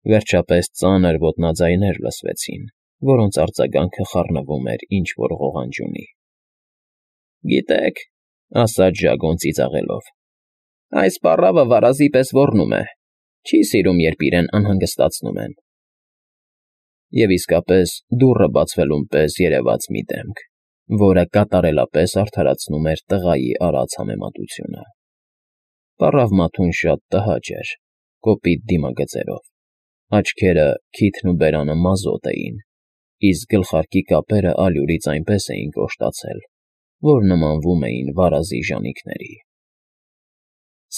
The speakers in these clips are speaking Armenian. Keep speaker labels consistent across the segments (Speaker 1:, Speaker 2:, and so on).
Speaker 1: Վերջապես ծանր ոտնաձայներ լսվեցին, որոնց արձագանքը խառնվում էր ինչ֊որ ղողանջյունի։ «Գիտեք,֊ ասաց Ժագոն ծիծաղելով,֊ այս պառավը վարազի պես ոռնում է, չի սիրում, երբ իրեն անհանգստացնում են»։ Եվ իսկապես դուռը բացվելուն պես երևաց մի դեմք, որը կատարելապես արդարացնում էր տղայի արած համեմատությունը։ Պառավ Մաթուն շատ տհաճ էր, կոպիտ դիմագծերով, աչքերը, քիթն ու բերանը մազոտ էին, իսկ գլխարկի կապերը ալյուրից այնպես էին կոշտացել, որ նմանվում էին վարազի ժանիքների։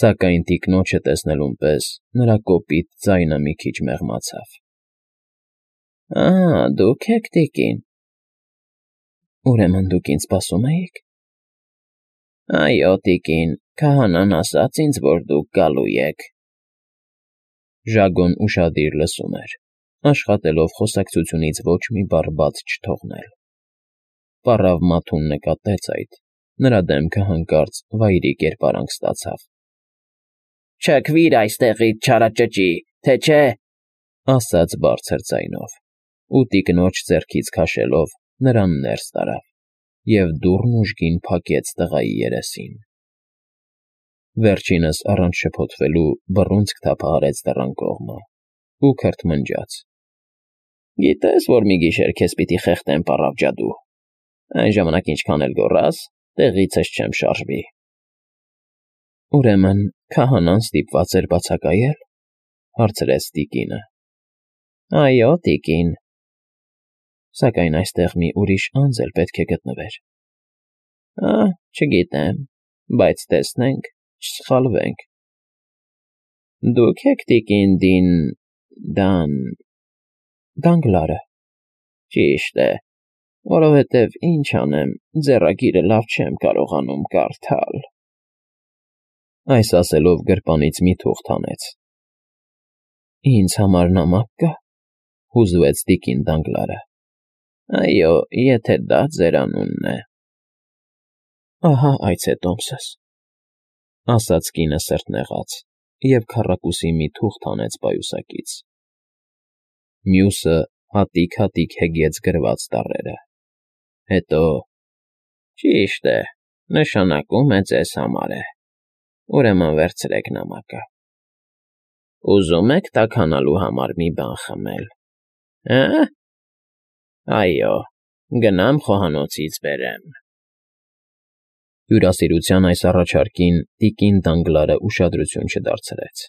Speaker 1: Սակայն տիկնոջը տեսնելուն պես նրա կոպիտ ձայնը մի քիչ մեղմացավ։ «Ա՜, դուք եք, տիկին… Ուրեմն դուք ինձ սպասում էիք»։ «Այո, տիկին, քահանան ասաց ինձ, որ դուք գալու եք»։ Ժագոն ուշադիր լսում էր, աշխատելով խոսակցությունից ոչ մի բառ բաց չթողնել։ Պառավ Մաթուն նկատեց այդ, նրա դեմքը հանկարծ վայրի կերպարանք ստացավ։ «Չքվիր այստեղից, չարաճճի, թե չէ…»։ ասաց բարձր ձայնով, ու տիկնոջ ձեռքից քաշելով նրան ներս տարավ և դուռն ուժգին փակեց տղայի երեսին։ Վերջինս առանց շփոթվելու բռունցք թափահարեց դռան կողմը ու քրթմնջաց. «Գիտես, որ մի գիշեր քեզ պիտի խեղդեմ, պառավ ջադու, այն ժամանակ ինչքան էլ գոռաս, տեղիցս չեմ շարժվի»։ «Ուրեմն քահանան ստիպված էր բացակայել»։ հարցրեց տիկինը։ «Այո, տիկին»։ «Սակայն այստեղ մի ուրիշ անձ էլ պետք է գտնվեր»։ Չգիտեմ, բայց տեսնենք, չսխալվենք»։ «Դուք եք տիկին Դանգլարը»։ «Ճիշտ է, որովհետև ինչ անեմ, ձեռագիրը լավ չեմ կարողանում կարդալ»։ Այս ասելով գրպանից մի թուղթ հանեց։ «Ինձ համար նամակ կա»։ հուզվեց տիկին Դանգլարը։ «Այո, եթե դա ձեր անունն է»։ «Ահա այց է տոմսս», ասաց կինը սրտնեղած և քառակուսի մի թուղթ հանեց պայուսակից։ Մյուսը հատիկ֊հատիկ հեգեց գրված տառերը։ Հետո. «Ճիշտ է, նշանակում է ձեզ համար է, ուրեմն վերցրեք նամակը։ Ուզում եք տաքանալու համար մի բան խմել, հը՞։ Այո, գնամ խոհանոցից բերեմ»։ Հյուրասիրության այս առաջարկին տիկին Դանգլարը ուշադրություն չդարձրեց։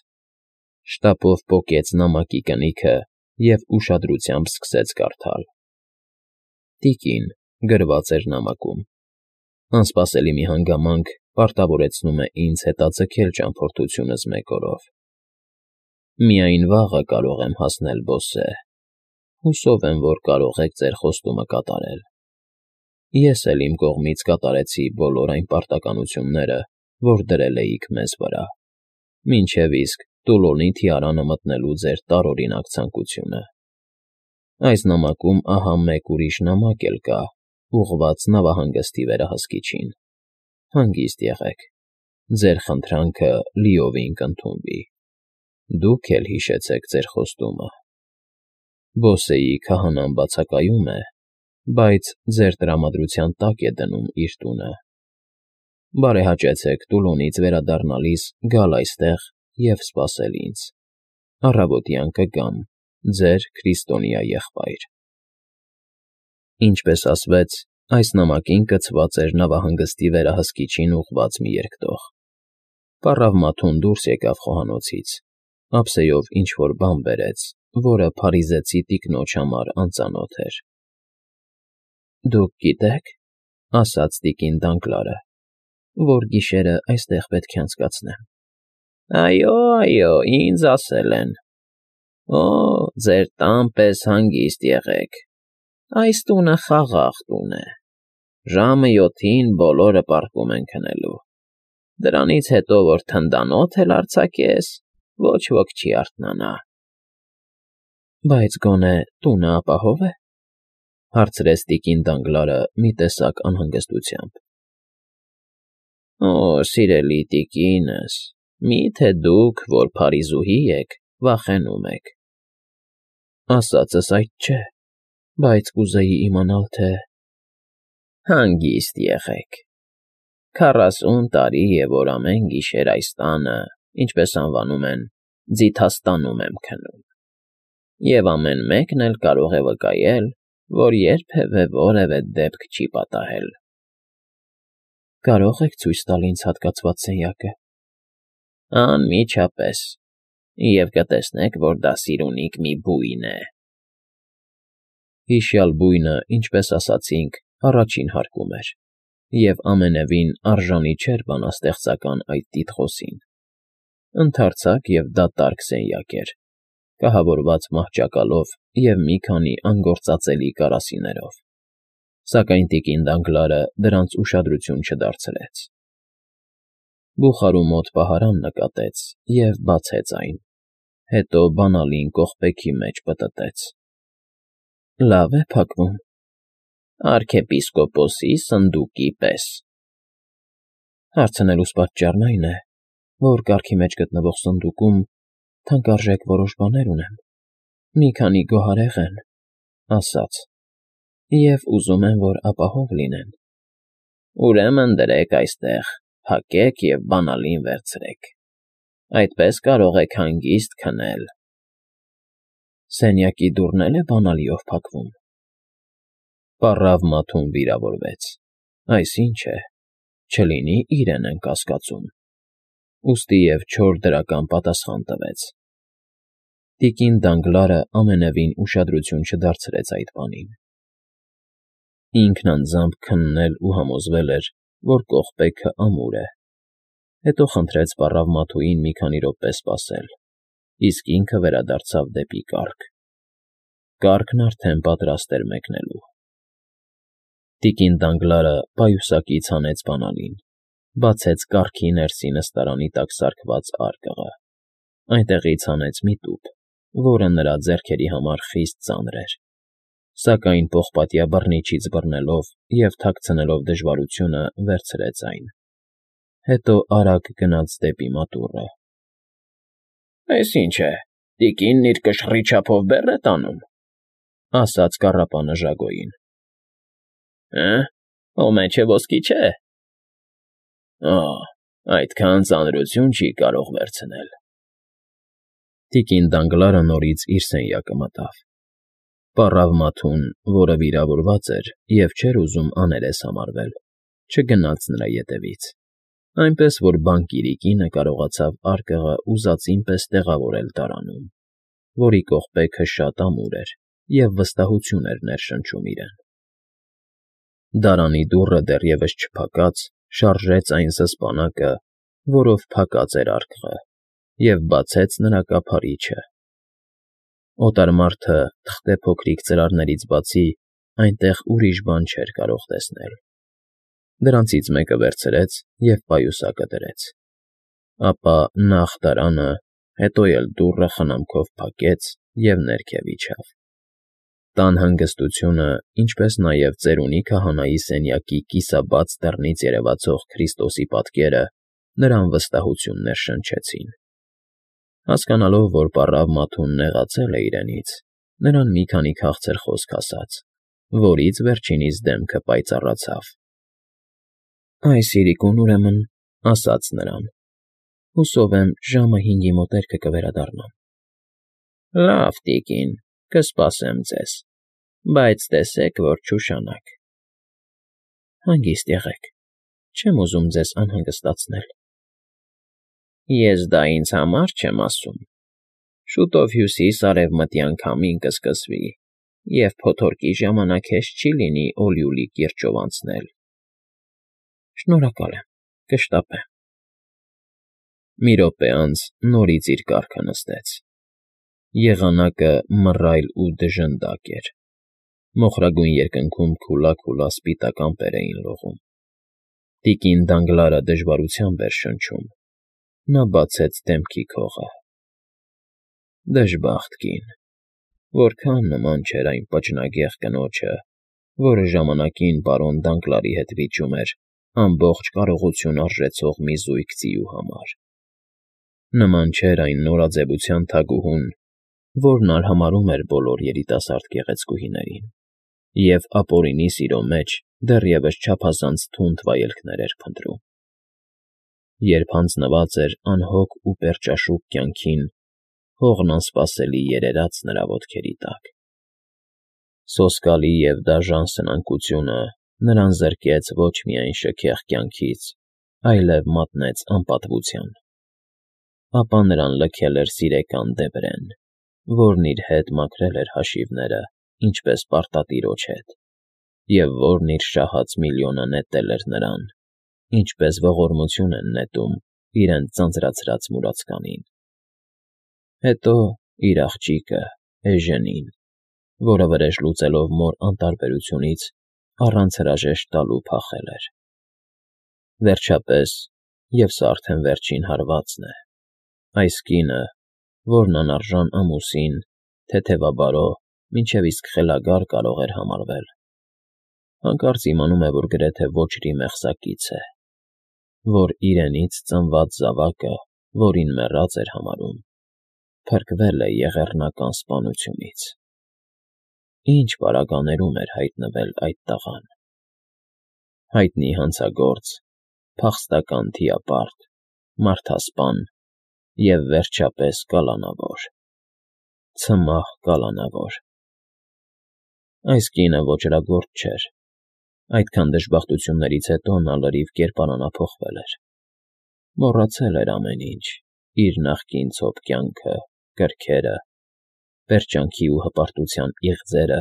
Speaker 1: Շտապով պոկեց նամակի կնիքը և ուշադրությամբ սկսեց կարդալ։ «Տիկին» գրված էր նամակում։ Անսպասելի մի հանգամանք պարտավորեցնում է ինձ հետաձգել ճամփորդությունս մեկ օրով։ Միայն վաղը կարող եմ հասնել Բոսե։ Հուսով եմ, որ կարող եք ձեր խոստումը կատարել։ Ես էլ իմ կողմից կատարեցի բոլոր այն պարտականությունները, որ դրել էիք մեզ վրա, մինչև իսկ Տուլոնի թիարանը մտնելու ձեր տարօրինակ ցանկությունը։ Այս նամակում ահա մեկ ուրիշ նամակ էլ կա, ուղղված նավահանգստի վերահսկիչին։ Հանգիստ եղեք, ձեր խնդրանքը լիովին կընդունվի։ Դուք էլ հիշեցեք ձեր խոստումը։ Բոսեի քահանան բացակայում է, բայց ձեր տրամադրության տակ է դնում իր տունը։ Բարեհաճեցեք Տուլոնից վերադառնալիս գալ այստեղ և սպասել ինձ։ Առավոտյան կգամ, ձեր քրիստոնյա եղբայր։ Ինչպես ասվեց, այս նամակին կցված էր նավահանգստի վերահսկիչին ուղղված մի երկտող։ Պառավ Մաթուն դուրս եկավ խոհանոցից, ափսեով ինչ֊որ բան բերեց, որը փարիզեցի տիկնոջ համար անծանոթ էր։ «Դուք գիտեք,֊ ասաց տիկին Դանգլարը,֊ որ գիշերը այստեղ պետք է անցկացնեմ»։ «Այո, այո, ինձ ասել են»։ «Օ, ձեր տան պես հանգիստ եղեք, այս տունը խաղաղ տուն է, ժամը 7-ին բոլորը պառկում են քնելու, դրանից հետո որ թնդանոթ էլ արձակես, ոչ ոք չի արթնանա»։ «Բայց գոնե տունը ապահո՞վ է», հարցրեց տիկին Դանգլարը մի տեսակ անհանգստությամբ։ «Օ, սիրելի տիկինս, մի՞թե դուք, որ Փարիզուհի եք, վախենում եք։ Ասածս այդ չէ, բայց կուզեի իմանալ, թե… Հանգիստ եղեք, 40 տարի է, որ ամեն գիշեր այս տանը, ինչպես անվանում են, ձիթաստանում եմ քնում, և ամեն մեկն էլ կարող է վկայել, որ երբևէ որևէ դեպք չի պատահել։ Կարող եք ցույց տալ ինձ հատկացված սենյակը։ Անմիջապես, և կտեսնեք, որ դա սիրունիկ մի բույն է։ Հիշյալ բույնը, ինչպես ասացինք, առաջին հարկում էր, և ամենևին արժանի չէր բանաստեղծական այդ տիտղոսին։ Ընդարձակ և դատարկ սենյակ էր, կահավորված մահճակալով և մի քանի անգործածելի կարասիներով, սակայն տիկին Դանգլարը դրանց ուշադրություն չդարձրեց։ Բուխարու մոտ պահարան նկատեց և բացեց այն, հետո բանալին կողպեքի մեջ պտտեց։ Լավ է փակվում, արքեպիսկոպոսի սնդուկի պես։ Հարցնելուս պատճառն այն է, որ կառքի մեջ գտնվող սնդուկում թանկարժեք որոշ բաներ ունեմ, մի քանի գոհարեղեն, ասաց, և ուզում եմ, որ ապահով լինեն։ Ուրեմն դրեք այստեղ, փակեք և բանալին վերցրեք, այդպես կարող եք հանգիստ քնել։ Սենյակի դուռն էլ է բանալիով փակվում։ Պառավ Մաթուն վիրավորվեց, այսինչ է, չլինի իրեն են կասկածում, ուստի և չոր դրական պատասխան տվեց։ Տիկին Դանգլարը ամենևին ուշադրություն չդարձրեց այդ բանին։ Ինքն անձամբ քննել ու համոզվել էր, որ կողպեքը ամուր է, հետո խնդրեց պառավ Մաթուին մի քանի րոպե սպասել, իսկ ինքը վերադարձավ դեպի կառք։ Կառքն արդեն պատրաստ էր մեկնելու։ Տիկին Դանգլարը պայուսակից հանեց բանալին, բացեց կառքի ներսի նստարանի տակ սարքված արկղը, այնտեղից հանեց մի տուփ, որը նրա ձեռքերի համար խիստ ծանր էր, սակայն պողպատյա բռնիչից բռնելով և թաքցնելով դժվարությունը վերցրեց այն, հետո արագ գնաց դեպի մատուռը։ Այս ի՞նչ է, տիկինն իր կշռի չափով բեռ է տանում, ասաց կառապանը Ժագոյին։ Հո մեջը ոսկի չէ։ Այդքան ծանրություն չի կարող վերցնել։ Տիկին Դանգլարը նորից իր սենյակը մտավ։ Պառավ Մաթուն, որը վիրավորված էր և չէր ուզում աներես համարվել, չգնաց նրա ետևից, այնպես որ բանկիրի կինը կարողացավ արկղը ուզածին պես տեղավորել դարանում, որի կողպեքը շատ ամուր էր և վստահություն էր ներշնչում իրեն։ Դարանի դուռը դեռևս չփակած շարժեց այն զսպանակը, որով փակած էր արկղը, և բացեց նրա կափարիչը։ Օտար մարդը, թղթե փոքրիկ ծրարներից բացի, այնտեղ ուրիշ բան չէր կարող տեսնել։ Դրանցից մեկը վերցրեց և պայուսակը դրեց, ապա նախ դարանը, հետո էլ դուռը խնամքով փակեց և ներքև իջավ։ Տան հանգստությունը, ինչպես նաև ծերունի քահանայի սենյակի կիսաբաց դռնից երևացող Քրիստոսի պատկերը նրան վստահություն ներշնչեցին։ Հասկանալով, որ պառավ Մաթուն նեղացել է իրենից, նրան մի քանի քաղցր խոսք ասաց, որից վերջինիս դեմքը պայծառացավ։ Այս իրիկուն, ուրեմն, ասաց նրան, հուսով եմ ժամը 5-ի մոտերքը կվերադառնամ։ Լավ, տիկին, կսպասեմ ձեզ, բայց տեսեք, որ չուշանաք։ Հանգիստ եղեք, չեմ ուզում ձեզ անհանգստացնել։ Ես դա ինձ համար չեմ ասում։ Շուտով հյուսիս֊արևմտյան քամին կսկսվի, և փոթորկի ժամանակ հեշտ չի լինի Օլիուլի կիրճով անցնել։ Շնորհակալ եմ, կշտապեմ։ Մի րոպե անց նորից իր կառքը նստեց։ Եղանակը մռայլ ու դժնդակ էր։ Մոխրագույն երկնքում քուլա սպիտակ ամպեր էին լողում։ Տիկին Դանգլարը դժվարությամբ էր շնչում։ Նա բացեց դեմքի քողը։ Դժբախտ կին, որքան նման չէր այն պճնագեղ կնոջը, որը ժամանակին պարոն Դանգլարի հետ վիճում էր ամբողջ կարողություն արժեցող մի զույգ ձիու համար։ Նման չէր այն նորաձևության թագուհուն, որն արհամարհում էր բոլոր երիտասարդ գեղեցկուհիներին, և ապօրինի սիրո մեջ դեռևս չափազանց թունդ վայելքներ էր փնտրում։ Երբ հանձնված էր անհոգ ու պերճաշուք կյանքին, հողն անսպասելի երերաց նրա ոտքերի տակ։ Սոսկալի և դաժան սնանկությունը նրան զրկեց ոչ միայն շքեղ կյանքից, այլև մատնեց անպատվության։ Ապա նրան լքել էր սիրեկան Դեբրեն, որն իր հետ մաքրել էր հաշիվները, ինչպես պարտատիրոջ հետ, և որն իր շահած միլիոնը նետել էր նրան, ինչպես ողորմություն են նետում իրենց ձանձրացրած մուրացկանին։ Հետո իր աղջիկը՝ Էժենին, որը վրեժ լուծելով մոր անտարբերությունից առանց հրաժեշտ տալու փախել էր։ Վերջապես, և սա արդեն վերջին հարվածն է, այս կինը, որն անարժան ամուսին, թեթևաբարո, մինչև իսկ խելագար կարող էր համարվել, հանկարծ իմանում է, որ գրեթե ոչրի մեղսակից է, որ իրենից ծնված զավակը, որին մեռած էր համարում, փրկվել է եղեռնական սպանությունից։ Ինչ պարագաներում էր հայտնվել այդ տղան։ Հայտնի հանցագործ, փախստական թիապարտ, մարդասպան և, վերջապես, կալանավոր, ցմահ կալանավոր։ Այս կինը ոճրագործ չէր։ Այդքան դժբախտություններից հետո նա լրիվ կերպարանափոխվել էր։ Մոռացել էր ամեն ինչ՝ իր նախկին ցոփ կյանքը, կրքերը, պերճանքի ու հպարտության իղձերը,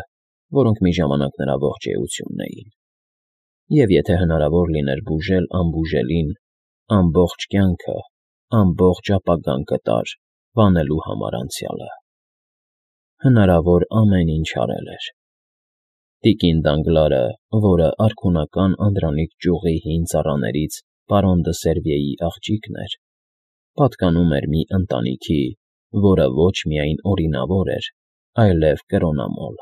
Speaker 1: որոնք մի ժամանակ նրա ողջ էությունն էին, և եթե հնարավոր լիներ բուժել անբուժելին, ամբողջ կյանքը, ամբողջ ապագան կտար վանելու համար անցյալը։ Հնարավոր ամեն ինչ արել էր։ Տիկին Դանգլարը, որը արքունական անդրանիկ ճյուղի հին ծառաներից պարոն դը Սերվիեի աղջիկն էր, պատկանում էր մի ընտանիքի, որը ոչ միայն օրինավոր էր, այլև կրոնամոլ։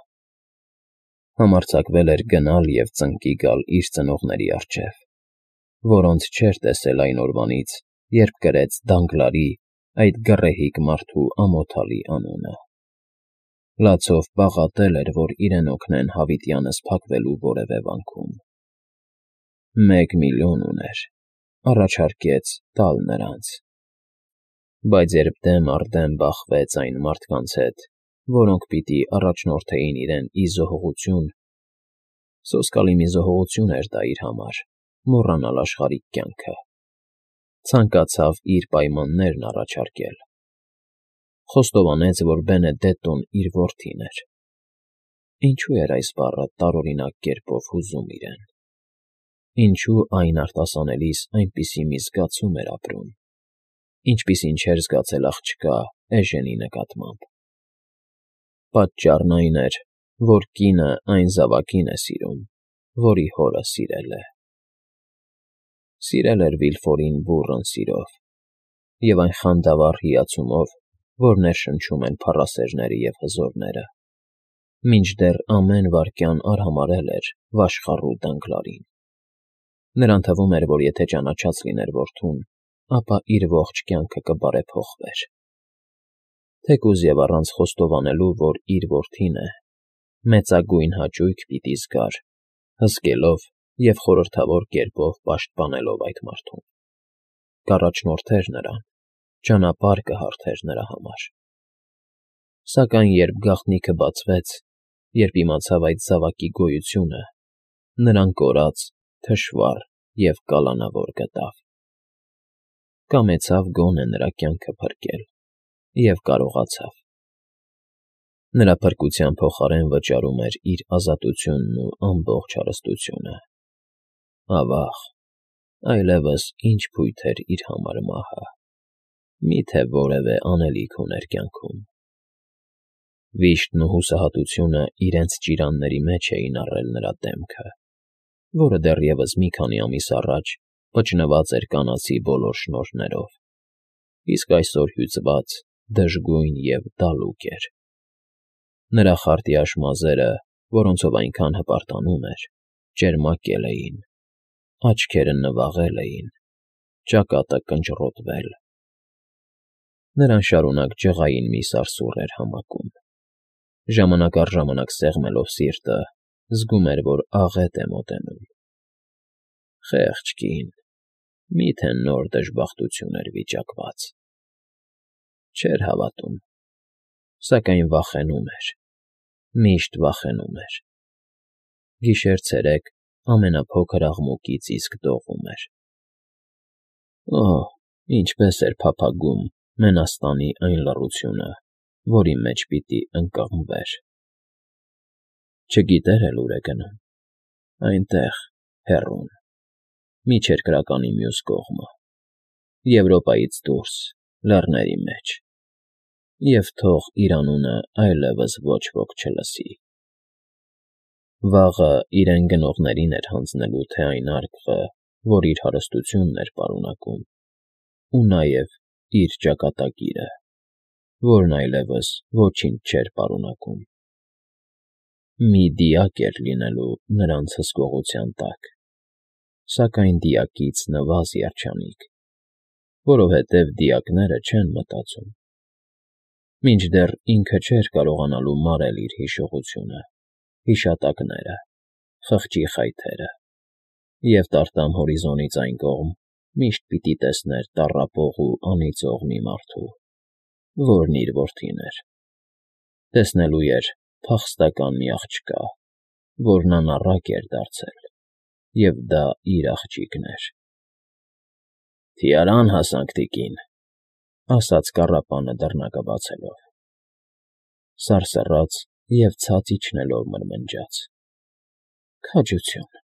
Speaker 1: Համարձակվել էր գնալ և ծնկի գալ իր ծնողների առջև, որոնց չէր տեսել այն օրվանից, երբ կրեց Դանգլարի, այդ գռեհիկ մարդու ամոթալի անունը։ Լացով պաղատել էր, որ իրեն օգնեն հավիտյանս փակվելու որևէ վանքում։ 1 միլիոն ուներ, առաջարկեց տալ նրանց։ Բայց երբ դեմ առ դեմ բախվեց այն մարդկանց հետ, որոնք պիտի առաջնորդեին իրեն ի զոհողություն, սոսկալի մի զոհողություն էր դա իր համար, մոռանալ աշխարհիկ կյանքը, ցանկացավ իր պայմաններն առաջարկել։ Խոստովանեց, որ Բենեդետտոն իր որդին էր։ Ինչու էր այս բառը տարօրինակ կերպով հուզում իրեն։ Ինչու այն արտասանելիս այնպիսի մի զգացում էր ապրում, ինչպիսին չէր զգացել աղջկա Էժենի նկատմամբ։ Պատճառն այն էր, որ կինը այն զավակին է սիրում, որի հորը սիրել է։ Սիրել էր Վիլֆորին բուռն սիրով և այն խանդավառ հիացումով, որ ներշնչում են փառասերները և հզորները, մինչդեռ ամեն վայրկյան արհամարհել էր վաշխառու Դանգլարին։ Նրան թվում էր, որ եթե ճանաչած լիներ որդուն, ապա իր ողջ կյանքը կբարեփոխվեր։ Թեկուզ և առանց խոստովանելու, որ իր որդին է, մեծագույն հաճույք պիտի զգար, հսկելով և խորհրդավոր կերպով պաշտպանելով այդ մարդուն։ Կառաջնորդեր նրան, ճանապարհ կհարթեր նրա համար։ Սակայն երբ գաղտնիքը բացվեց, երբ իմացավ այդ զավակի գոյությունը, նրան կորած, թշվառ և կալանավոր գտավ։ Կամեցավ գոնե նրա կյանքը փրկել և կարողացավ։ Նրա փրկության փոխարեն վճարում էր իր ազատությունն ու ամբողջ հարստությունը։ Ավա՜ղ, այլևս ինչ փույթ էր իր համար մահը։ Մի՞թե որևէ անելիք ուներ կյանքում։ Վիշտն ու հուսահատությունը իրենց ճիրանների մեջ էին առել նրա դեմքը, որը դեռևս մի քանի ամիս առաջ վճնված էր կանացի բոլոր շնորհներով, իսկ այսօր հյուծված, դժգույն և դալուկ էր։ Նրա խարտյաշ մազերը, որոնցով այնքան հպարտանում էր, ճերմակել էին, աչքերը նվաղել էին, ճակատը կնճռոտվել։ Նրան շարունակ ջղային մի սարսուռ էր համակում։ Ժամանակ առ ժամանակ սեղմելով սիրտը, զգում էր, որ աղետ է մոտենում։ Խեղճ կին, մի՞թե նոր դժբախտություն էր վիճակված։ Չէր հավատում, սակայն վախենում էր, միշտ վախենում էր։ Գիշեր֊ցերեկ ամենափոքր աղմուկից իսկ դողում էր։ Օհ, ինչպես էր փափագում մենաստանի այն լռությունը, որի մեջ պիտի ընկղմվեր։ Չգիտեր էլ ուր է գնում։ Այնտեղ, հեռուն, միջերկրականի մյուս կողմը, Եվրոպայից դուրս, լեռների մեջ, և թող իր անունը այլևս ոչ ոք չլսի։ Վաղը իրեն գնողներին էր հանձնելու թե այն արկղը, որ իր հարստությունն էր պարունակում, ու նաև իր ճակատագիրը, որն այլևս ոչինչ չէր պարունակում։ Մի դիակ էր լինելու նրանց հսկողության տակ, սակայն դիակից նվազ երջանիկ, որովհետև դիակները չեն մտածում։ Մինչդեռ ինքը չէր կարողանալու մարել իր հիշողությունը, հիշատակները, խղճի խայթերը, և տարտամ հորիզոնից այն կողմ միշտ պիտի տեսներ տառապող ու անիծող մի մարդու, որն իր որդին էր։ Տեսնելու էր փախստական մի աղջկա, որն անառակ էր դարձել, և դա իր աղջիկն էր։ «Թիարան հասանք, տիկին», ասաց կառապանը դռնակը բացելով։ Սարսռաց և ցած իջնելով մրմնջաց. «Քաջություն»։